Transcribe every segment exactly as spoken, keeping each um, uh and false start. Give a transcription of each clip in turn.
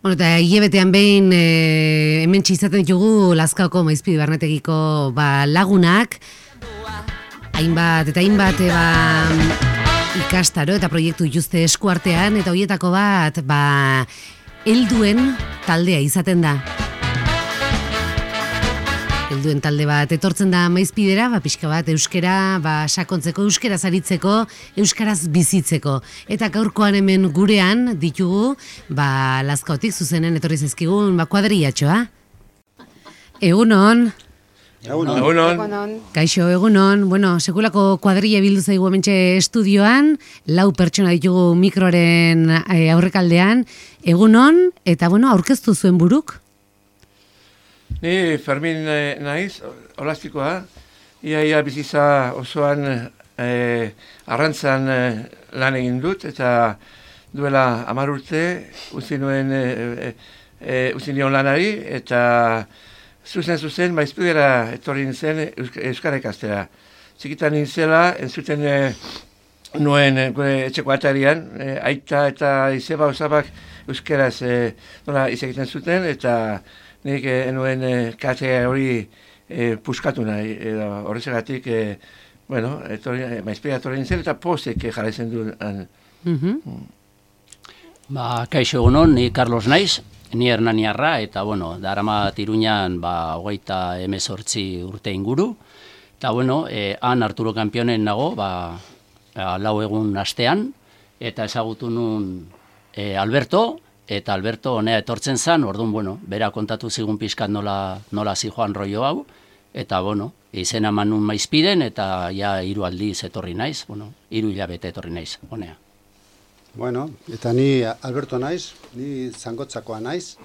Bueno, eta hilebetean behin e, hemen txizaten ditugu Lazkaoko Maizpide Barnetegiko ba, lagunak, hainbat eta hainbat e, ba, ikastaro eta proiektu dituzte eskuartean, eta horietako bat ba, helduen taldea izaten da. Helduen talde bat etortzen da Maizpidera, ba, pixka bat euskera ba, sakontzeko, euskaraz aritzeko, euskaraz bizitzeko. Eta gaurkoan hemen gurean ditugu, ba, Lazkaotik zuzenen etorri zaizkigun ba, kuadrillatxoa. Egunon. Egunon. Egunon. Kaixo, egunon. Bueno, sekulako kuadrilla bildu zaigu hementxe estudioan, lau pertsona ditugu mikroaren e, aurrekaldean. Egunon, eta bueno, aurkeztu zuen buruk? Ni Fermin eh, naiz, olastikoa, iaia bizitza osoan eh, arrantzan eh, lan egin dut, eta duela hamar urte utzi nuen eh, eh, utzi nion lanari, eta zuzen zuzen Maizpidera etorri nintzen euskara ikastera. Txikitan nintzela, entzuten eh, nuen gure etxeko atarian, eh, aita eta izeba osabak euskaraz eh, nola izegiten zuten, eta nik eh, enuen eh, kate hori eh, puskatu nahi, edo horrezegatik, eh, bueno, eh, Maizpidera etorri nintzen, eta postek eh, jarraitzen du. Mm-hmm. mm. Ba, kaixo egunon, ni Carlos naiz, ni Hernaniarra, eta bueno, daramat Iruñan ba, hogeita hemezortzi urte inguru, eta bueno, eh, han Arturo Kampionen nago, ba, lau egun astean, eta ezagutu nun eh, Alberto, eta Alberto honea etortzen zan, orduan, bueno, bera kontatu zigun pixkat nola, nola zijoan rollo hau, eta, bueno, izena eman nun Maizpiden, eta ja hiru aldiz etorri naiz, bueno, hiru hilabete etorri naiz, honea. Bueno, eta ni Alberto naiz, ni Zangotzakoa naiz,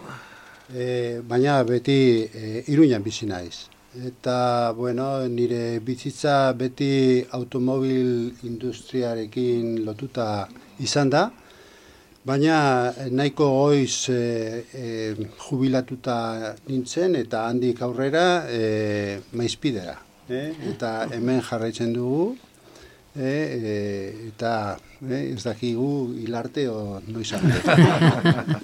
e, baina beti e, Iruñan bizi naiz. Eta, bueno, nire bizitza beti automobil industriarekin lotuta izan da, baina nahiko goiz e, e, jubilatuta nintzen eta handik aurrera e, Maizpidera. E, eta hemen jarraitzen dugu, e, e, eta e, ez dakigu hilarte o noiz arte.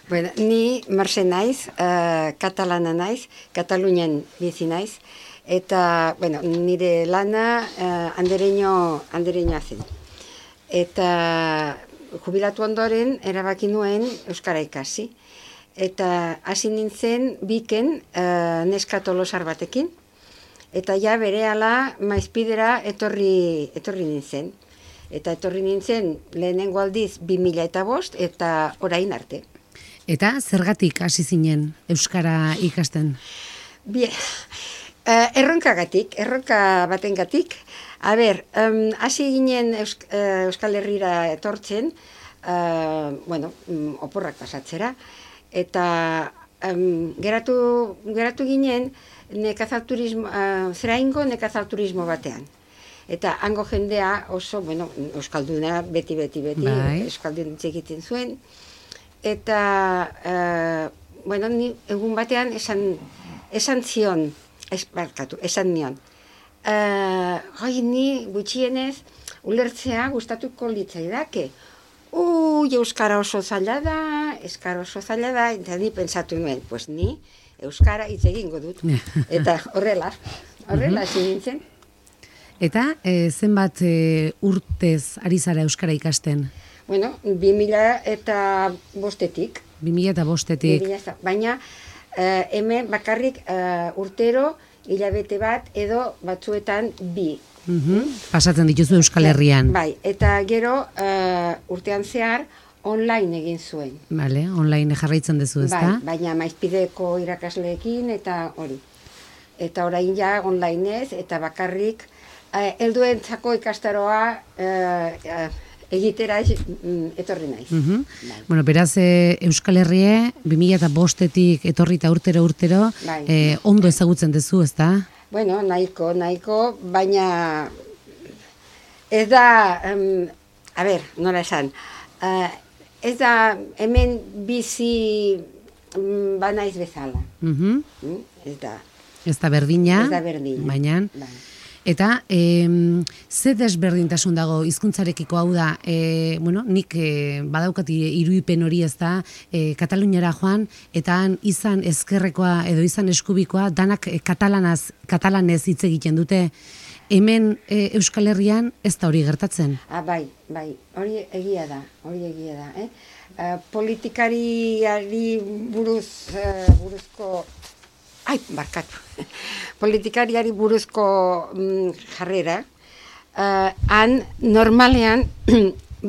Bueno, ni Marse naiz, uh, katalana naiz, Katalunian bizi naiz, eta bueno, nire lana uh, andereño, andereñoa zen. Eta jubilatu ondoren erabaki nuen euskara ikasi. Eta hasi nintzen biken uh, neska tolosar batekin. Eta ja berehala Maizpidera etorri, etorri nintzen. Eta etorri nintzen lehenengo aldiz bi mila eta bost eta orain arte. Eta zergatik hasi zinen euskara ikasten? Bien, uh, erronkagatik, erronka batengatik. A ber, um, hasi ginen Eusk uh, Euskal Herrira etortzen, uh, bueno, um, oporrak pasatzera, eta um, geratu, geratu ginen nekazalturismo, uh, zeraingo nekazalturismo batean. Eta hango jendea oso, bueno, euskalduna beti, beti, beti, bai. Euskaldun egiten zuen. Eta, uh, bueno, ni egun batean esan, esan zion, ez, barkatu, esan nion. Uh, Hoi, ni gutxienez ulertzea gustatuko litzaidake. Ui, euskara oso zaila da, euskara oso zaila da, eta ni pentsatu nuen, pues ni euskara hitz egingo dut. Eta horrela, horrela hasi nintzen. Eta e, zenbat e, urtez ari zara euskara ikasten? Bueno, bi mila eta bostetik. Bi mila eta bostetik. Baina uh, hemen bakarrik uh, urtero hilabete bat edo batzuetan bi. Uh-huh. Pasatzen dituzu Euskal Herrian. Bai, eta gero uh, urtean zehar online egin zuen. Vale, online jarraitzen duzu, ezta? Bai, baina Maizpideko irakasleekin eta hori. Eta orain ja online ez, eta bakarrik uh, helduentzako ikastaroa uh, uh, egitera etorri naiz. Uh-huh. Bai. Bueno, beraz, e, Euskal Herrie, bi mila eta bostetik etorri eta urtero urtero, bai. e, ondo ezagutzen duzu, ezta? Bueno, nahiko, nahiko, baina ez da, um, a ber, nola esan, uh, ez da hemen bizi um, banaiz bezala. Uh-huh. mm? Ez da. Ez da berdina, ez da berdina. Baina, bai. Eta e, ze desberdintasun dago hizkuntzarekiko, hau da, e, bueno, nik e, badaukati irudipen hori, ez da, e, Kataluniara joan, eta han izan ezkerrekoa edo izan eskubikoa, danak e, katalanaz, katalanez hitz egiten dute. Hemen e, Euskal Herrian ez da hori gertatzen. Ah, bai, bai, hori egia da, hori egia da. Eh? Uh, politikariari buruz, uh, buruzko, ai, barkatu, politikariari buruzko mm, jarrera, uh, han normalean,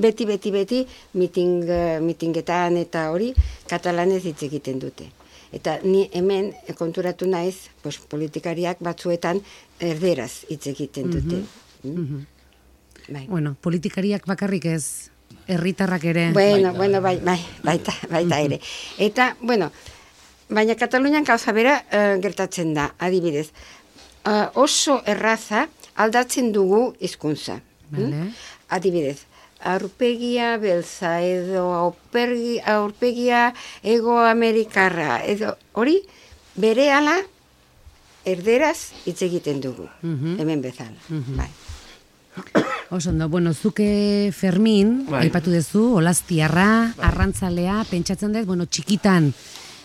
beti, beti, beti, miting, uh, mitingetan eta hori, katalanez hitz egiten dute. Eta ni hemen konturatu naiz, pues, politikariak batzuetan erderaz hitz egiten dute. Mm-hmm. Mm? Bai. Bueno, politikariak bakarrik ez, herritarrak ere. Bueno, baita, bueno, bai, bai, baita, baita ere. Eta, bueno, baina Katalunian gauza bera uh, gertatzen da, adibidez. Uh, oso erraza aldatzen dugu hizkuntza. Vale. Mm? Adibidez. Aurpegia beltza edo aurpegi, aurpegia egoamerikarra edo hori berehala erderaz hitz egiten dugu, mm-hmm. hemen bezala. Mm-hmm. Bai. Oso ondo, bueno, zuke Fermin, bai. aipatu duzu, Olastiarra, bai. Arrantzalea, pentsatzen dut, bueno, txikitan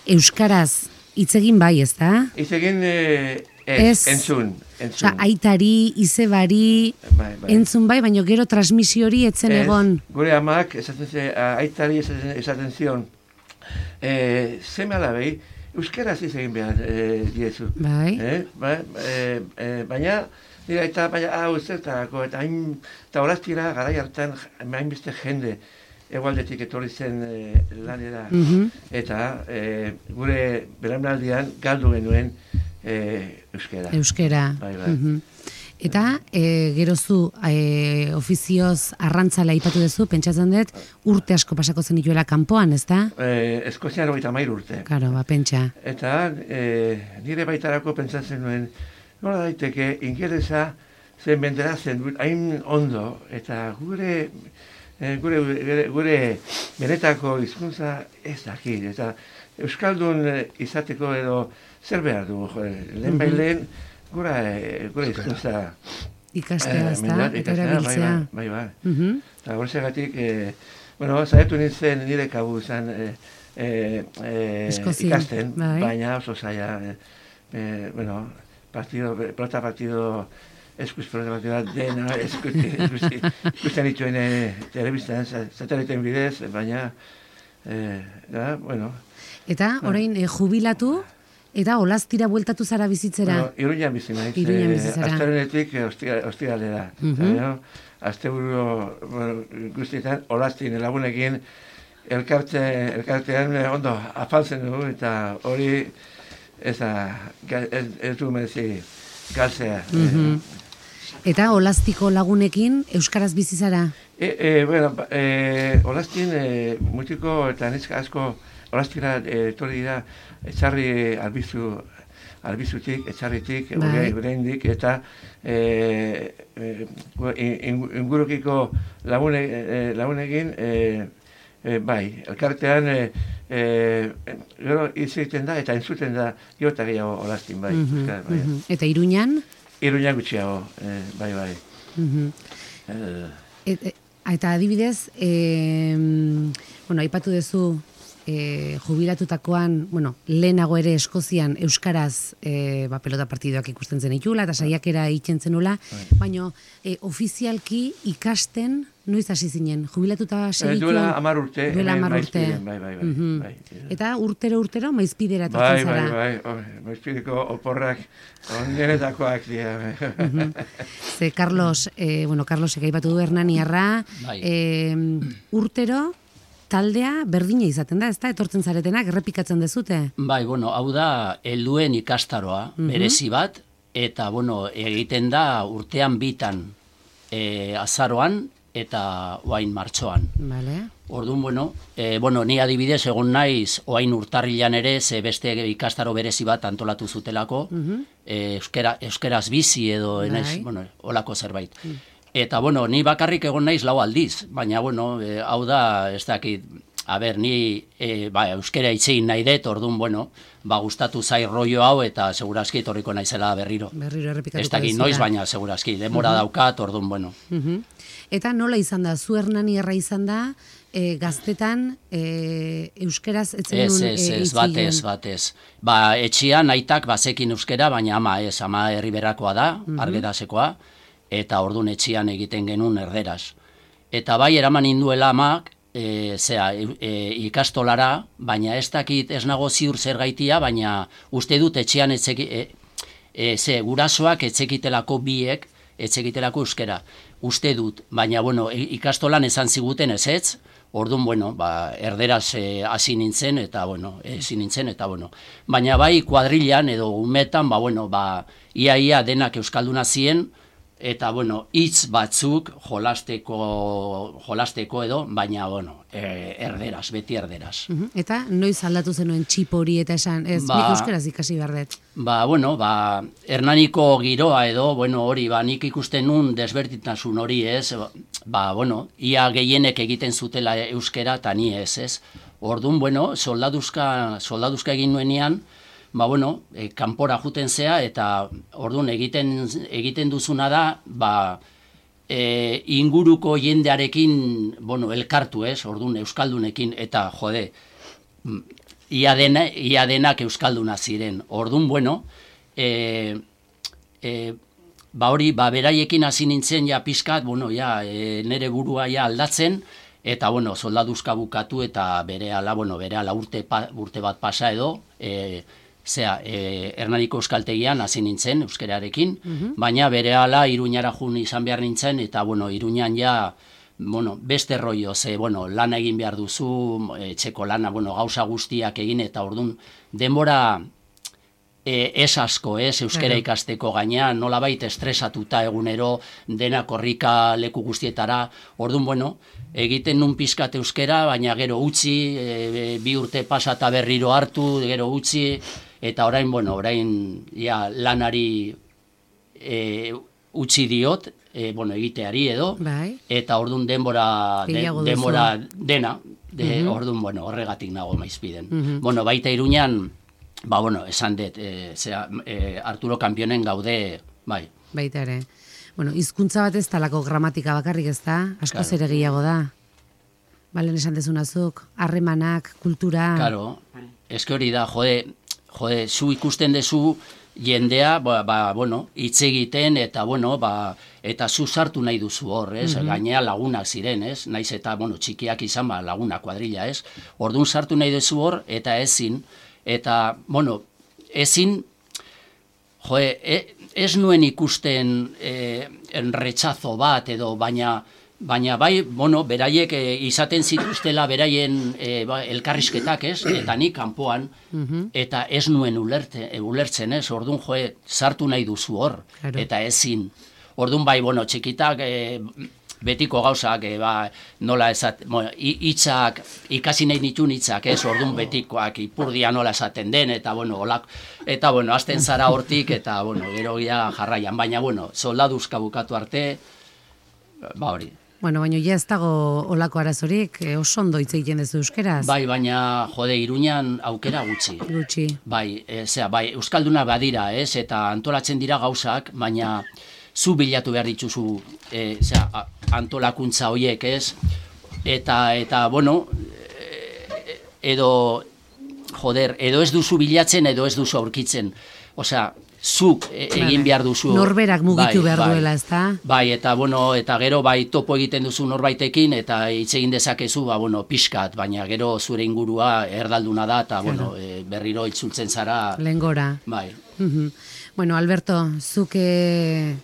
euskaraz hitz egin bai, ez da? Hitz egin eh, ez, ez, entzun. entzun. Osa, aitari, izebari, bai, bai. entzun bai, baina gero transmisio hori etzen ez, egon. Gure amak, esaten ze, aitari esaten, esaten zion, eh, zeme alabei, euskaraz hitz egin behar eh, diezu. Bai. Eh, bai, eh, eh, baina, dira, eta baina, hau zertarako, eta hain, eta horaztira, garai hartan, hainbeste jende, egualdetik etorri zen e, lanera, mm-hmm. eta e, gure belaunaldian galdu genuen e, euskera. Euskera. Bai, bai. Mm-hmm. Eta e, gero zu e, ofizioz arrantzala aipatu duzu, pentsatzen dut urte asko pasako zen dituela kanpoan, ez da? E, Eskozian hogeita hamairu urte. Karo, ba, pentsa. Eta e, nire baitarako pentsatzen nuen, nola daiteke ingelesa zen bendera zen hain ondo, eta gure E, gure, gure, gure benetako hizkuntza ez dakit, eta euskaldun izateko edo zer behar du, lehen bai lehen gure, gure hizkuntza ikastea, ez da, eta erabiltzea. Bai, bai, bai. Mm-hmm. Eta horregatik, e, bueno, zaitu nintzen nire kabu izan e, e, e, ikasten, bai. baina oso zaila, e, e, bueno, partido, pelota partido, eskuz programatu da dena, ikusten dituen telebistan, sateliten bidez, baina, eh, da, bueno. Eta, orain, eh, jubilatu, eta olaztira bueltatu zara bizitzera? Bueno, Iruñan bizi naiz. Iruñan bizi zara. Azterenetik ostiralera. Mm-hmm. Asteburu bueno, guztietan, olaztin lagunekin, elkarte, elkartean ondo afaltzen dugu, eta hori ez, ez, ez du merezi galtzea. Mm-hmm. Eta olaztiko lagunekin euskaraz bizi zara? E, e, bueno, e, olaztin e, mutiko eta neska asko olaztira etorri dira etxarri albizu, albizutik, etxarritik, ureindik, eta e, e, ingurukiko lagune, e, lagunekin e, e, bai, elkartean e, e, gero hitz egiten da eta entzuten da gero eta gehiago olaztin, bai. Mm-hmm, Euskara, bai. mm-hmm. Eta Iruñan? Iruñan gutxiago, eh, bai, bai. Mm-hmm. Uh. Et, et, eta adibidez, e, bueno, aipatu duzu e, jubilatutakoan, bueno, lehenago ere Eskozian euskaraz e, ba, pelota partidoak ikusten zen itula, eta saiakera egiten zenula, baina e, ofizialki ikasten noiz hasi zinen, jubilatuta segituen? Duela hamar urte. Duela hamar urte. Bai, bai, bai. Mm-hmm. bai. Eta urtero urtero maizpidera etortzen zara. Bai, bai, bai. Maizpideko oporrak ondenetakoak dira. Mm-hmm. Ze Carlos, eh, bueno, Carlosek aipatu du Hernaniarra, bai. eh, urtero taldea berdina izaten da, ezta? Etortzen zaretenak, errepikatzen dezute? Bai, bueno, hau da, helduen ikastaroa, mm-hmm. berezi bat, eta, bueno, egiten da urtean bitan e, azaroan, eta oain martxoan. Vale. Orduan, bueno, e, bueno, ni adibidez egon naiz oain urtarrilan ere, ze beste ikastaro berezi bat antolatu zutelako, mm-hmm. e, euskera, euskeraz bizi edo, naiz, bueno, olako zerbait. Mm. Eta, bueno, ni bakarrik egon naiz lau aldiz, baina, bueno, e, hau da, ez dakit, a ber, ni e, ba, euskera itzein nahi dut, orduan, bueno, ba, gustatu zai rollo hau, eta segurazki etorriko naizela berriro. Berriro errepikatuko ez dakit noiz, baina segurazki, demora uh-huh. daukat, orduan, bueno. Uh-huh. Eta nola izan da, zu Hernanierra izan da, e, gaztetan e, euskeraz etzen ez, nun ez, e, ez, batez, batez. Ba, etxian aitak bazekin euskera, baina ama ez, ama herriberakoa da, uh-huh. argedasekoa, eta orduan etxian egiten genuen erderaz. Eta bai, eraman induela amak, E, zera, e, ikastolara, baina ez dakit ez nago ziur zer gaitia, baina uste dut etxean etzeki, e, e, ze, gurasoak etzekitelako biek, etzekitelako euskera. Uste dut, baina bueno, ikastolan esan ziguten ez ez, orduan, bueno, ba, erderaz hasi e, nintzen, eta bueno, ezin nintzen, eta bueno. Baina bai, kuadrilan edo umetan, ba, bueno, ba, ia ia denak euskalduna zien, eta, bueno, hitz batzuk jolasteko, jolasteko edo, baina, bueno, e, erderaz, beti erderaz. Uh-huh. Eta noiz aldatu zenuen txip hori eta esan, ez, ba, nik euskeraz ikasi behar dut? Ba, bueno, ba, Hernaniko giroa edo, bueno, hori, ba, nik ikusten nun desbertitasun hori, ez, ba, bueno, ia gehienek egiten zutela euskera, eta ni ez, ez. Orduan, bueno, soldaduzka, soldaduzka egin nuenean, ba, bueno, e, kanpora juten zea, eta orduan egiten, egiten duzuna da, ba, e, inguruko jendearekin, bueno, elkartu ez, orduan euskaldunekin, eta jode, ia, dena, ia denak euskalduna ziren. Orduan, bueno, e, e, ba hori, ba, beraiekin hasi nintzen ja pizkat, bueno, ja, e, nere burua ja aldatzen, eta, bueno, soldaduzka bukatu, eta berehala, bueno, berehala urte, pa, urte bat pasa edo, e, Zea, e, Hernaniko euskaltegian hasi nintzen euskerarekin, uh-huh. baina berehala Iruñara jun izan behar nintzen, eta, bueno, Iruñan ja, bueno, beste rollo, ze, bueno, lana egin behar duzu, etxeko lana, bueno, gauza guztiak egin, eta orduan, denbora e, ez asko, ez, euskera claro. ikasteko gaina, nolabait estresatuta egunero, dena korrika leku guztietara, orduan, bueno, egiten nun pizkat euskera, baina gero utzi, e, bi urte pasata berriro hartu, gero utzi, eta orain, bueno, orain ja, lanari e, utzi diot, e, bueno, egiteari edo, bai. Eta orduan denbora, de, denbora dena, de, uh-huh. orduan, bueno, horregatik nago maizpiden. Uh-huh. Bueno, baita Iruñan, ba, bueno, esan dut, e, zera, e, Arturo Kampionen gaude, bai. Baita ere. Bueno, hizkuntza bat ez talako gramatika bakarrik ez da, asko claro. Ere gehiago da. Balen esan dezunazuk, harremanak, kultura... Claro, eske hori da, jode, jode, zu ikusten dezu jendea, ba, ba, bueno, hitz egiten, eta, bueno, ba, eta zu sartu nahi duzu hor, ez? Mm-hmm. Gainea lagunak ziren, ez? Naiz eta, bueno, txikiak izan, ba, laguna, kuadrilla, ez? Orduan sartu nahi duzu hor, eta ezin, eta, bueno, ezin, jode, e, ez nuen ikusten e, enretxazo bat, edo, baina, Baina bai, bueno, beraiek e, izaten zituztela beraien e, ba, elkarrizketak, ez? Eta nik kanpoan, uh-huh. eta ez nuen ulerte, e, ulertzen, ez? Orduan, joe, sartu nahi duzu hor, claro. Eta ezin. Orduan bai, bueno, txikitak, e, betiko gauzak, e, ba, nola ezat, bueno, hitzak, ikasi nahi nituen hitzak, ez? Orduan betikoak, ipurdia nola esaten den, eta, bueno, olak, eta, bueno, azten zara hortik, eta, bueno, gero ja jarraian. Baina, bueno, soldaduzka bukatu arte, ba hori. Bueno, baina ja ez dago olako arazorik, e, oso ondo hitz egiten duzu euskeraz. Bai, baina, jode, Iruñan aukera gutxi. Gutxi. Bai, e, zera, bai, euskalduna badira, ez, eta antolatzen dira gauzak, baina zu bilatu behar dituzu, e, zera, antolakuntza horiek, ez, eta, eta, bueno, edo, joder, edo ez duzu bilatzen, edo ez duzu aurkitzen. Osea, zuk egin behar duzu. Norberak mugitu bai, behar bai, duela, ez da? Bai, eta, bueno, eta gero, bai, topo egiten duzu norbaitekin, eta hitz egin dezakezu, ba, bueno, pixkat, baina gero zure ingurua erdalduna da, eta, claro. Bueno, e, berriro itzultzen zara. Lehengora. Bai. Uh-huh. Bueno, Alberto, zuk e,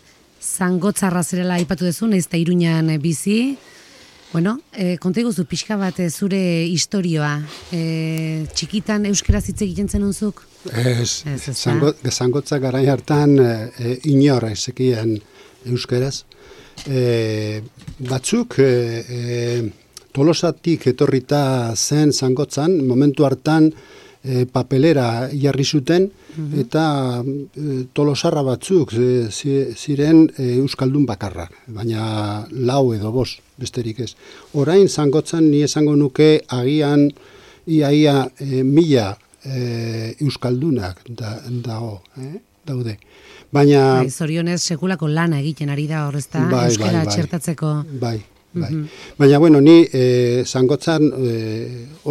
zangotzarra zerela aipatu duzu, naiz eta Iruñan bizi. Bueno, e, konta iguzu pixka bat e, zure historioa. E, txikitan euskaraz hitz egiten zenun zuk? Ez, zango, zangotza garai hartan e, inor ezekien euskaraz. E, batzuk e, e, Tolosatik etorrita zen zangotzan, momentu hartan e, papelera jarri zuten, eta e, tolosarra batzuk e, ziren e, euskaldun bakarrak, baina lau edo bost, besterik ez. Orain Zangotzan ni esango nuke agian iaia e, mila e, euskaldunak da, dago, eh? daude. Baina... Bai, zorionez sekulako lana egiten ari da horrezta, bai, euskara bai, bai. txertatzeko. Bai, bai. Mm-hmm. Baina, bueno, ni e, Zangotzan e,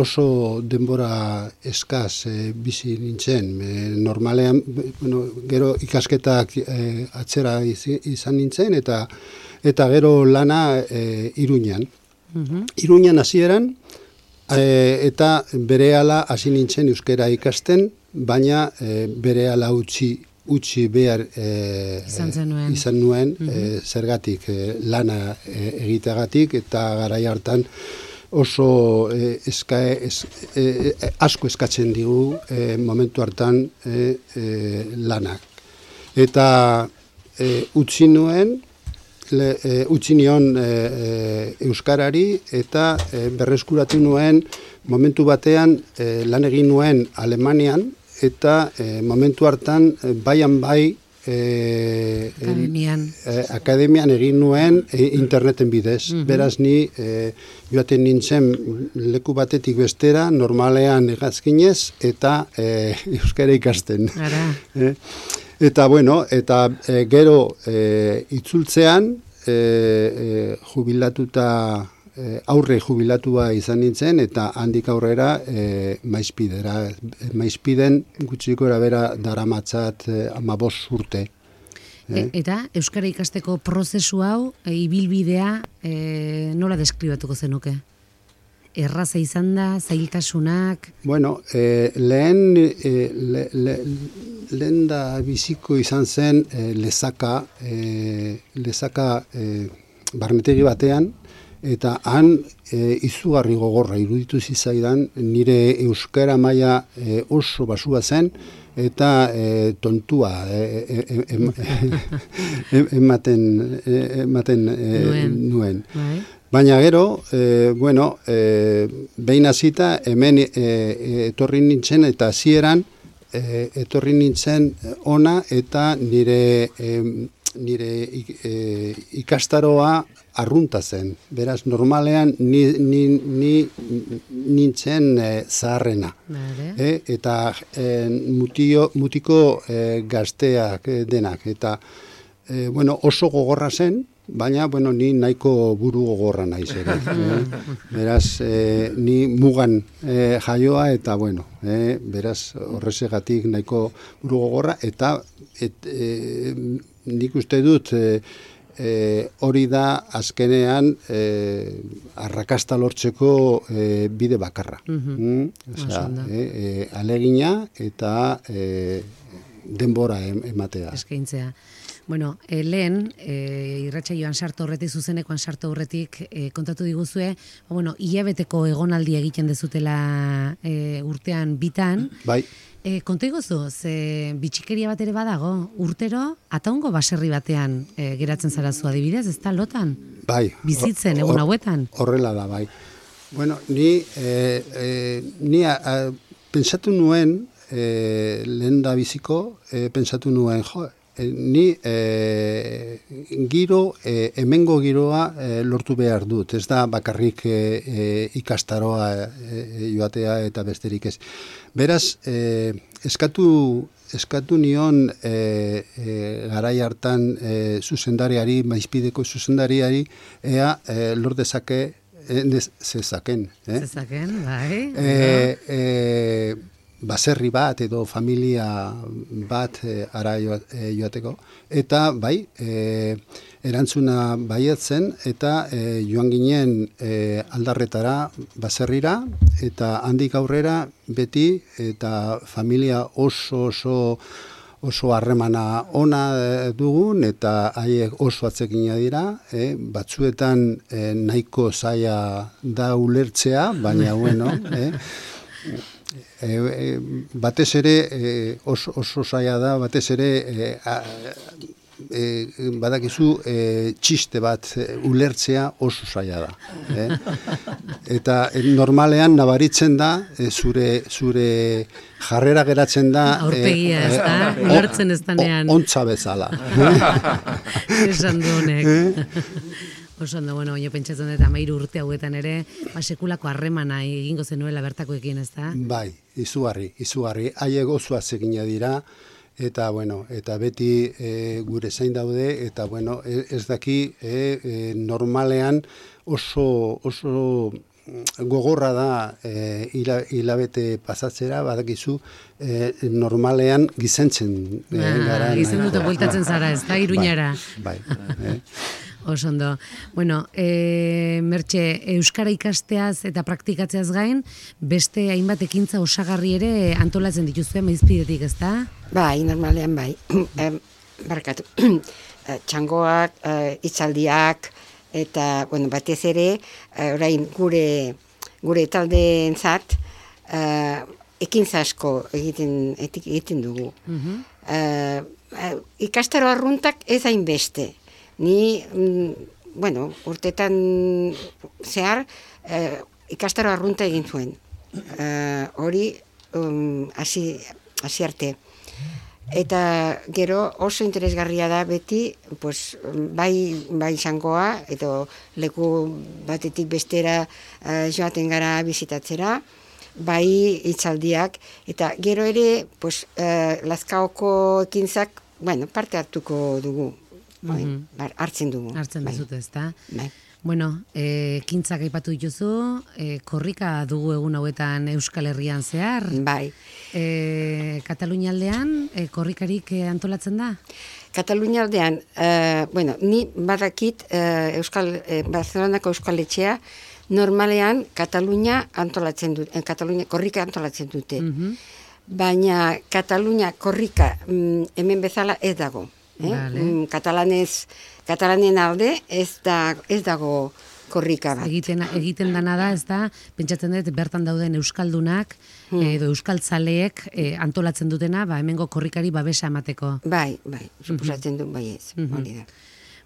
oso denbora eskaz e, bizi nintzen. E, normalean, bueno, gero ikasketak e, atzera izan nintzen, eta eta gero lana e, Iruñan. Mm-hmm. Iruñan hasieran, e, eta berehala hasi nintzen euskara ikasten, baina e, berehala utzi utzi behar e, izan, zenuen. izan nuen mm-hmm. e, zergatik e, lana e, egiteagatik, eta garai hartan oso e, eska, es, e, asko eskatzen digu e, momentu hartan e, e, lanak. Eta e, utzi nuen, le, e, utzi nion e, e, euskarari, eta e, berreskuratu nuen momentu batean e, lan egin nuen Alemanian, eta e, momentu hartan e, baian bai e, akademian. E, akademian egin nuen e, interneten bidez. Mm-hmm. Beraz ni e, joaten nintzen leku batetik bestera, normalean egazkinez, eta e, euskara ikasten. E, eta bueno, eta e, gero e, itzultzean e, e, jubilatuta E, aurre jubilatua izan nintzen, eta handik aurrera e, maizpidera. Maizpiden gutxiko erabera daramatzat e, amabost urte. E, eta euskara ikasteko prozesu hau, e, ibilbidea, e, nola deskribatuko zenuke? Erraza izan da, zailtasunak? Bueno, e, lehen, e, le, le, lehen da biziko izan zen e, lezaka, e, lezaka e, barnetegi batean, eta han e, izugarri gogorra iruditu zizaidan, nire euskara maila e, oso basua zen, eta e, tontua e, e, e, ematen, e, ematen e, nuen. nuen. Bai. Baina gero, e, bueno, e, behin hasita hemen e, e, etorri nintzen, eta hasieran e, etorri nintzen ona, eta nire, e, nire e, ikastaroa arrunta zen. Beraz, normalean ni, ni, ni nintzen e, zaharrena. E, eta e, mutio, mutiko e, gazteak e, denak. Eta e, bueno, oso gogorra zen, baina bueno, ni nahiko buru gogorra naiz ere. E, beraz, e, ni mugan e, jaioa, eta bueno, e, beraz, horrezegatik nahiko buru gogorra, eta et, e, nik uste dut e, E, hori da azkenean e, arrakasta lortzeko e, bide bakarra. Mm-hmm. mm? Osea, e, e, alegina eta e, denbora ematea. Eskaintzea. Bueno, e, lehen, e, irratsaioan sartu horretik, zuzenekoan sartu horretik, e, kontatu diguzue, bueno, hilabeteko egonaldi egiten dezutela e, urtean bitan. Bai. E, konta iguzu, ze bitxikeria bat ere badago, urtero, ataungo baserri batean e, geratzen zara zu adibidez, ez da lotan? Bai. Bizitzen, egun hauetan? Horrela da, bai. Bueno, ni, e, e, ni a, a, pensatu nuen, e, lehen da biziko, e, pensatu nuen, jo, e, ni e, giro, e, hemengo giroa e, lortu behar dut, ez da bakarrik e, e, ikastaroa e, joatea eta besterik ez. Beraz, eh, eskatu, eskatu nion eh, eh, garai hartan eh, zuzendariari, maizpideko zuzendariari, ea eh, lor dezake, eh, zezaken. Eh? Zezaken, bai. Eh, eh, baserri bat edo familia bat eh, ara joateko. Eta bai, eh, erantzuna baietzen, eta e, joan ginen e, aldarretara baserrira, eta handik aurrera beti, eta familia oso oso oso harremana ona dugun, eta haiek oso atzekina dira, e, batzuetan e, nahiko zaila da ulertzea, baina bueno, e, e, e, batez ere e, oso, oso zaila da, batez ere e, a, e, badakizu e, txiste bat e, ulertzea oso zaila da. Eh? Eta e, normalean nabaritzen da, e, zure, zure jarrera geratzen da... Aurpegia, ez da? E, ulertzen ez danean. Ontza bezala. Esan du honek. Oso ondo, bueno, baina pentsatzen dut amairu urte hauetan ere, ba, sekulako harremana egingo zenuela bertakoekin, ez da? Bai, izugarri, izugarri. Haiek oso atsegina dira, eta, bueno, eta beti e, gure zain daude, eta, bueno, ez daki e, e, normalean oso, oso gogorra da e, hila, hilabete pasatzera, badakizu, e, normalean gizentzen e, ah, gara. Gizenduta bueltatzen zara, ez da, Iruñara. Bai, bai. Oso ondo. Bueno, e, Mertxe, euskara ikasteaz eta praktikatzeaz gain, beste hainbat ekintza osagarri ere antolatzen dituzue maizpidetik, ez da? Bai, normalean bai. e, barkatu. Txangoak, e, hitzaldiak, eta, bueno, batez ere, e, orain gure, gure taldeentzat, e, ekintza asko egiten, egiten dugu. Uh-huh. e, e, ikastaro arruntak ez hainbeste. Ni, mm, bueno, urtetan zehar, eh, ikastaro arrunta egin zuen. Eh, hori, um, hasi, hasi arte. Eta gero oso interesgarria da beti, pues, bai, bai zangoa, edo leku batetik bestera eh, joaten gara bizitatzera, bai hitzaldiak, eta gero ere, pues, eh, Lazkaoko ekintzak, bueno, parte hartuko dugu. Mm-hmm. Bai, hartzen dugu. Hartzen duzute, ez da? Bai. Bueno, e, kintzak aipatu dituzu, e, korrika dugu egun hauetan Euskal Herrian zehar. Bai. E, Katalunia aldean, e, korrikarik e, antolatzen da? Katalunia aldean, e, bueno, ni badakit e, Euskal, e, Barcelonako Euskal Etxea, normalean Katalunia antolatzen dute, e, Katalunia korrika antolatzen dute. Mm-hmm. Baina Katalunia korrika mm, hemen bezala ez dago. Eh? Vale. Mm, katalanez, katalanen alde ez, da, ez dago korrika bat. Egiten, egiten dana da, ez da, pentsatzen dut bertan dauden euskaldunak hmm. edo euskaltzaleek eh, antolatzen dutena, ba, hemengo korrikari babesa emateko. Bai, bai, suposatzen du, bai ez, mm-hmm. hori da.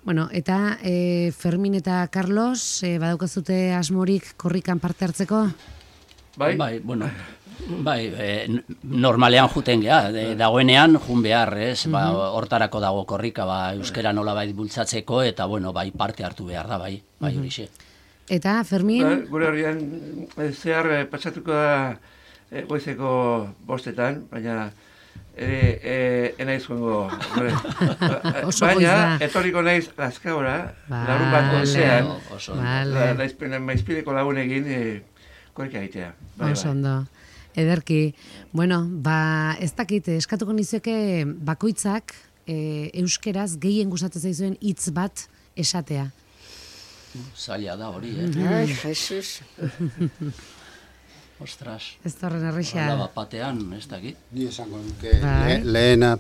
Bueno, eta e, Fermin eta Carlos, e, badaukazute asmorik korrikan parte hartzeko? Bai, bai, bueno, bai, e, normalean juten geha, de, dagoenean jun behar, ez, ba, hortarako dago korrika, ba, euskera nolabait bultzatzeko, eta, bueno, bai, parte hartu behar da, bai, bai, horixe. Eta, Fermin? Ba, gure horrean, zehar eh, patsatuko da eh, goizeko bostetan, baina ere, eh, enaiz joango, baina, etorriko naiz Lazkaora, larun bat gozean, vale. Maizpideko lagunekin, eh, korrika egitea. Bai, oso ondo. Ederki, bueno, ba, ez dakit, eskatuko nizueke bakoitzak e, euskeraz gehien gustatzen zaizuen hitz bat esatea. Zaila da hori, eh? Ai, Jesus. Ostras. Ez torren erreixa. Hala bat batean, ez dakit. Ni esango nuke, le, lehena,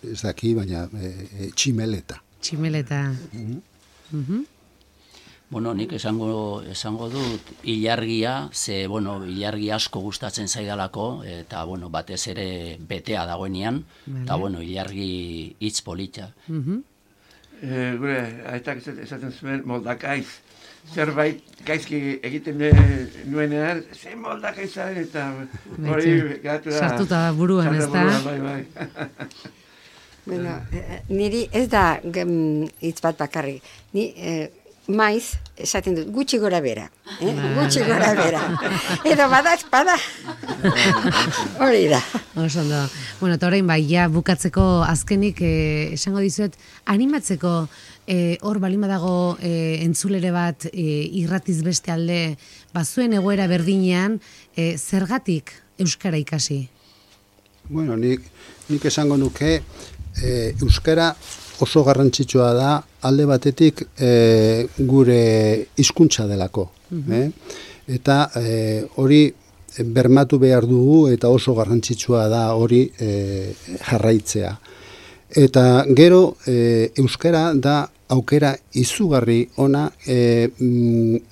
ez daki, baina e, e, tximeleta. Tximeleta. Mm-hmm. Mm-hmm. Bueno, nik esango, esango dut ilargia, ze, bueno, ilargi asko gustatzen zaidalako, eta, bueno, batez ere betea dagoenean, vale. Eta, bueno, ilargi hitz polita. Mm-hmm. e, gure, aitak esaten zuen moldakaiz. Zerbait gaizki egiten nuenean, ze moldakaizaren, eta hori gatu da. Sartuta buruan, ez da? Bai, bai. Bueno, niri ez da hitz bat bakarrik. Ni, eh, maiz, esaten dut, gutxi gora bera. Eh? Gutxi gora bera. Edo bada espada. Hori da. Oso ondo. Bueno, eta orain bai, ja bukatzeko azkenik eh, esango dizuet, animatzeko eh, hor balima dago eh, entzulere bat eh, irratiz beste alde, bazuen egoera berdinean, eh, zergatik euskara ikasi? Bueno, nik, nik esango nuke, eh, euskara oso garrantzitsua da alde batetik e, gure hizkuntza delako. Mm-hmm. eh? Eta e, hori bermatu behar dugu eta oso garrantzitsua da hori e, jarraitzea. Eta gero e, euskara da aukera izugarri ona e,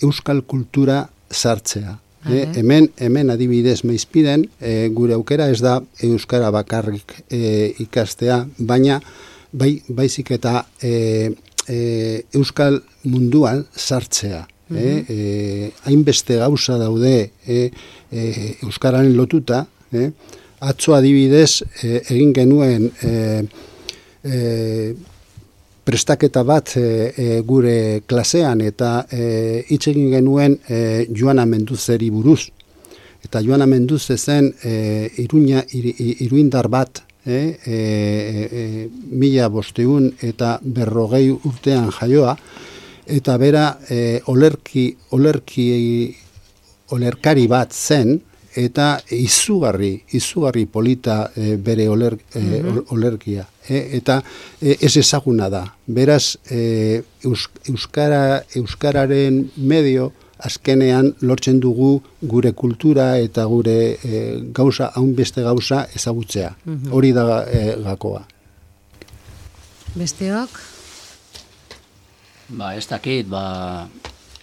euskal kultura sartzea. E, hemen, hemen adibidez Maizpiden e, gure aukera ez da euskara bakarrik e, ikastea, baina bai, baizik eta e, e, euskal munduan sartzea. Mm-hmm. e, e, hainbeste gauza daude e, e, euskararen lotuta, e, atzo adibidez e, egin genuen e, e, prestaketa bat e, e, gure klasean eta e, hitz egin genuen e, Joana Menduzeri buruz. Eta Joana Menduze zen e, iruña, ir, iruindar bat, e, e, e, mila bosteun eta berrogei urtean jaioa, eta bera e, olerki, olerki, olerkari bat zen, eta izugarri, izugarri polita e, bere oler, e, mm-hmm. olerkia. E, eta e, ez ezaguna da. Beraz, e, eus, euskara, euskararen medio, azkenean lortzen dugu gure kultura eta gure e, gauza, haun beste gauza ezagutzea. Mm-hmm. Hori da e, gakoa. Besteok? Ba, ez dakit, ba,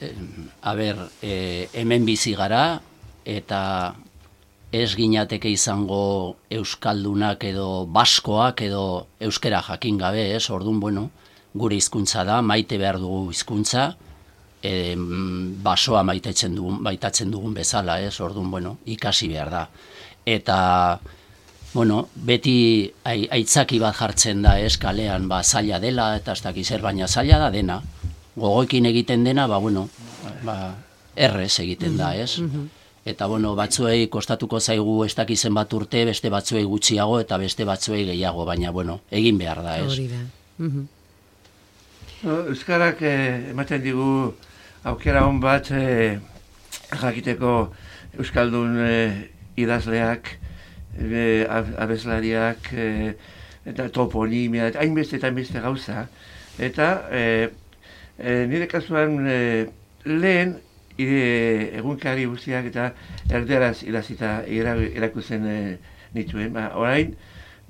e, a ber, e, hemen bizi gara, eta ez ginateke izango euskaldunak edo baskoak edo euskera jakin gabe, ez? Orduan, bueno, gure hizkuntza da, maite behar dugu hizkuntza, E, basoa maitatzen dugun, maitatzen dugun bezala, ez? Orduan, bueno, ikasi behar da. Eta, bueno, beti aitzaki bat jartzen da, ez? Kalean, ba, zaila dela, eta ez dakiz zer, baina zaila da dena. Gogoekin egiten dena, ba, bueno, ba, errez egiten da, ez? Eta, bueno, batzuei kostatuko zaigu ez dakizen bat urte, beste batzuei gutxiago, eta beste batzuei gehiago, baina, bueno, egin behar da, ez? Hori da. No, euskarak eh, ematen digu aukera hon bat eh, jakiteko euskaldun eh, idazleak, eh, abeslariak, eh, eta toponimia, eta hainbeste eta hainbeste gauza. Eta eh, eh, nire kasuan eh, lehen ire, egunkari guztiak eta erderaz idazita erakusten eh, nituen. Ba, orain,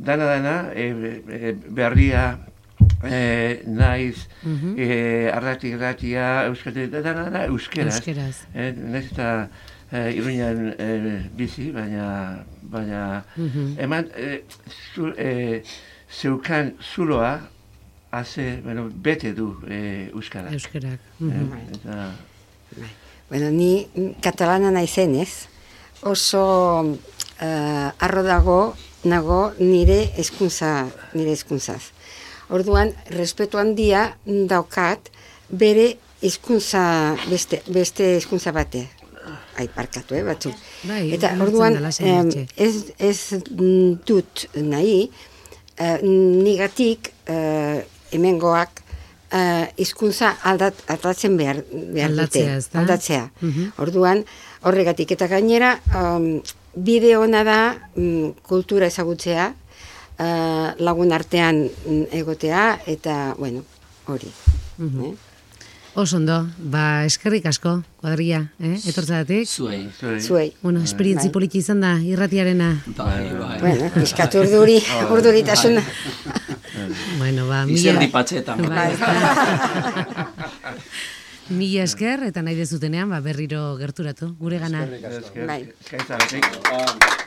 dana-dana, eh, eh, berria, Eh, naiz, mm-hmm. eh, arrati-irratia, euskate, dana da euskeraz. Euskeraz. Eh, naiz eta eh, Iruñan eh, bizi, baina, baina mm-hmm. eman, eh, zu, eh, zeukan zuloa, haze, bueno, bete du eh, euskara. Euskarak. Mm-hmm. eh, eta... Bueno, ni katalana naizenez, oso uh, arro dago, nago nire hezkuntza, nire hezkuntzaz. Orduan, respetu handia daukat bere hizkuntza beste beste hizkuntza bate. Ai, parkatu, eh, batzu. Bai, eta orduan, em, ez, ez dut nahi, eh, nigatik eh, hemengoak hizkuntza eh, aldat, aldatzen behar, behar aldatzea, dute. Aldatzea. Mm-hmm. Orduan, horregatik. Eta gainera, um, bide ona da um, kultura ezagutzea, Uh, lagun artean egotea, eta, bueno, hori. Mm-hmm. eh? Osondo, ba, eskerrik asko, kuadria, eh? Etortzadatik? Zuei. Zuei. Bueno, esperientzi bai. Politi izan da, irratiarena. Bai, bai. Bueno, pizkatu urduri, urduritasuna. Bueno, ba, mila... Izerdi patxetan. Bai. Mila esker, eta nahi dezutenean, ba, berriro gerturatu, gure gana. Esker, bai. esker, esker,